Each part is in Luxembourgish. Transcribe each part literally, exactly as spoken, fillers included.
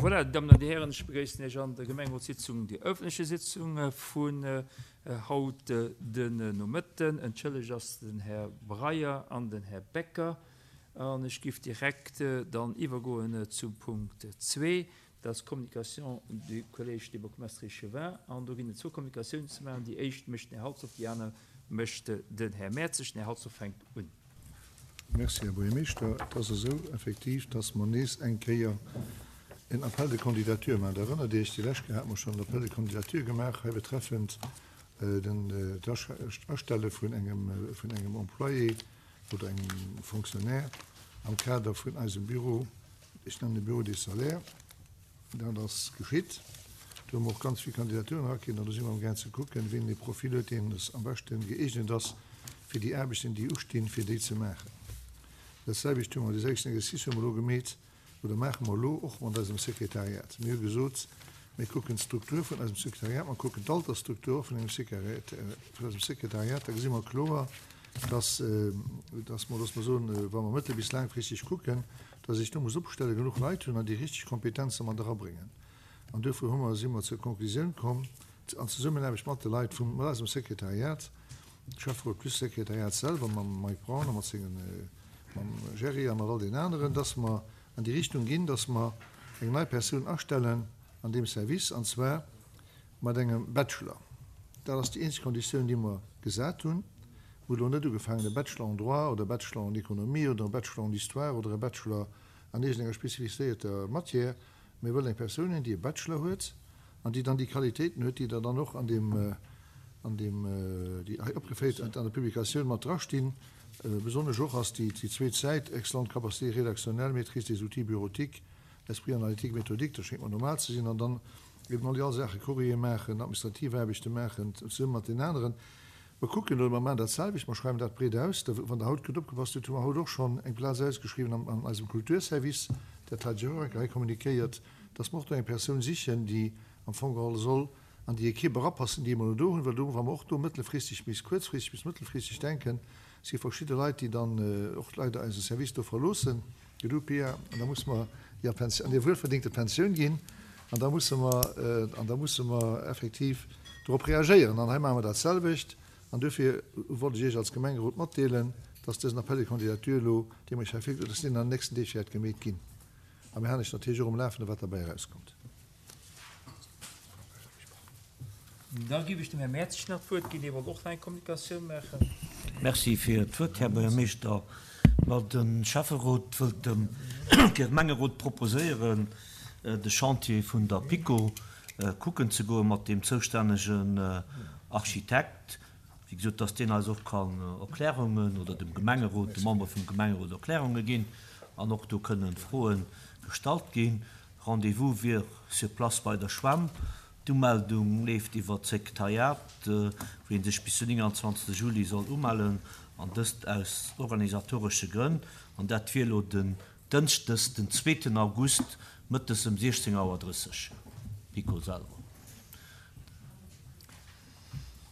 Voilà, Damen an Dir Hären, ech begréissen Iech an der Gemengerotssitzung, déi öffentliche Sitzung vun haut den Nomëtten. Entschëllegt ass den Här Breyer an den Här Becker. An ech giff direkt dann iwwergoen zum Punkt zwee, dat ass d'Communication du Collège des bourgmestres et échevins. An do ginn et zwou Communicatiounen ze maachen. Déi éischt mécht den Här Halsdorf, déi aner mécht den Här Mertzig. Den Här Halsdorf fänkt un. Merci, Här Buergermeeschter. Et ass esou effektiv, dass mer nees eng Kéier en Appel de candidature maachen. Der erënnert Iech, déi lescht Kéier hate mer schonn en Appel de candidature gemaach hei betreffend den, d'Astelle vun engem, vun engem Employé oder engem Fonctionnaire am Kader vun eisem Büro, ech nennen e Bureau des salaires. Dat ass geschitt. Do hu mer och ganz vill Kandidaturen erakritt an do si mer amgaang ze kucken, wien dee Profil huet, deen am beschte gëeegnet ass, fir déi Aarbechten, déi ustinn, fir déi ze maachen. Dat selwecht hu mer, dee selwechten Exercice hu mer elo gemeet, oder maache mer elo och mat eisem Sekretariat. Mir hu gesot, mir kucken d'Struktur vun eisem Sekretariat, mer kucken d'Altersstruktur och vun engem vun eisem Sekretariat, da gesi mer kloer, dass, dass mer, dass mer soen, wa mer mëttel bis laangfristeg kucken, dass ee sech do muss opstellen, genuch Leit hunn an déi richteg Kompetenze mat erabréngen. An duerfir hu mer, si mer zur Konklusioun komm, an Zesummenaarbecht mat de Leit vum, mat eisem Sekretariat, Schäfferot plus Sekretariat selwer, mam Mike Braun a mat sengen, mam Gerry a mat all den aneren, dass mer an déi Richtung ginn, dass mer eng nei Persoun astellen an deem Service, an zwar mat engem Bachelor. Dat ass déi eenzeg Konditioun, déi mer gesat hunn. Mer hu lo net ugefaangen, e Bachelor en droit oder e Bachelor en économie oder e Bachelor en histoire oder e Bachelor an iergendenger spezifizéierter Matière. Mir wëllen eng Persoun hunn, déi e Bachelor huet an déi dann déi Qualitéiten huet, déi der dann och an deem, an deem, déi hei opgeféiert an der Publikatioun mat drastinn. Besonnesch och ass déi zweet Säit, excellente capacité rédactionnelle, maîtrise des outils bureautiques, esprit analytique, méthodique, dat schéngt mer normal ze sinn, an dann eben all déi all Saachen, Courrier maachen, administrativ Aarbechte maachen, zesumme mat deenen aneren. Mer kucken elo, mer maachen dat selwecht, mer schreiwen dat breet aus. Wann Der haut gutt opgepasst hutt, hu mer haut och schonn eng Plaz ausgeschriwwen an eisem Kulturservice, dat hat ech och eng Kéier hei kommunikéiert, dass mer och do eng Persoun sichen, déi am Fong geholl soll an déi Equipe erapassen, déi mer elo do hunn, well do, wa mer och do mëttelfristeg bis kuerzfristeg bis mëttelfristeg denken, si verschidde Leit, déi dann och leider eise Service do verloossen, du Pia, an da musse mer déi an hir wuelverdéngte Pensioun ginn, an da musse mer, an da musse mer effektiv dorop reagéieren. An hei maache mer dat selwecht. An duerfir wollt ech Iech als Gemengerot matdeelen, dass dësen Appel de candidature elo, dee mer Iech hei virgestallt hunn, dass deen an den nächsten Deeg wäert gemeet ginn. A mir halen Iech natierlech och um Lafende wat derbäi erauskëmmt. Da géif ech dem Här Mertzig nach d'Wuert ginn, dee wollt och nach eng Kommunikatioun maachen. Merci fir d'Wuert, Här Buergermeeschter. Ma de Schäfferot wëllt dem Gemengerot proposéieren, de Chantier vun der PiKo kucken ze goe mat deem zoustännegen Architekt. Wéi gesot, dass deen eis och kann Erklärungen, oder dem Gemengerot, de Membere vum Gemengerot Erklärunge ginn an och do kënnen Froe gestallt ginn. Rendez-vous wier sur place bei der Schwämm. D'Umeldung leeft iwwer d'Sekretariat, wou ee sech bis den nénganzwanzegste Juli soll umellen, an dëst aus organisatoresche Grënn. An dat wier elo den Dënschdes, den zweeten August, mëttes ëm siechzéng Auer drësseg. Nico selwer.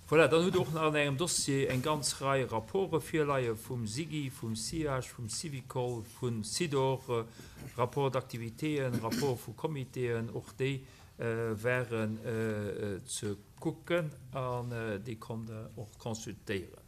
Voilà, dann hutt Der och nach an engem Dossier eng ganz Rei Rapporte virleie vum SIGI, vum SIAG, vum Syvicol, vum SIDOR, Rapports d'activitéen, Rapporte vu Comitéen, och déi waren ze kucken an déi konnt Der och consultéieren.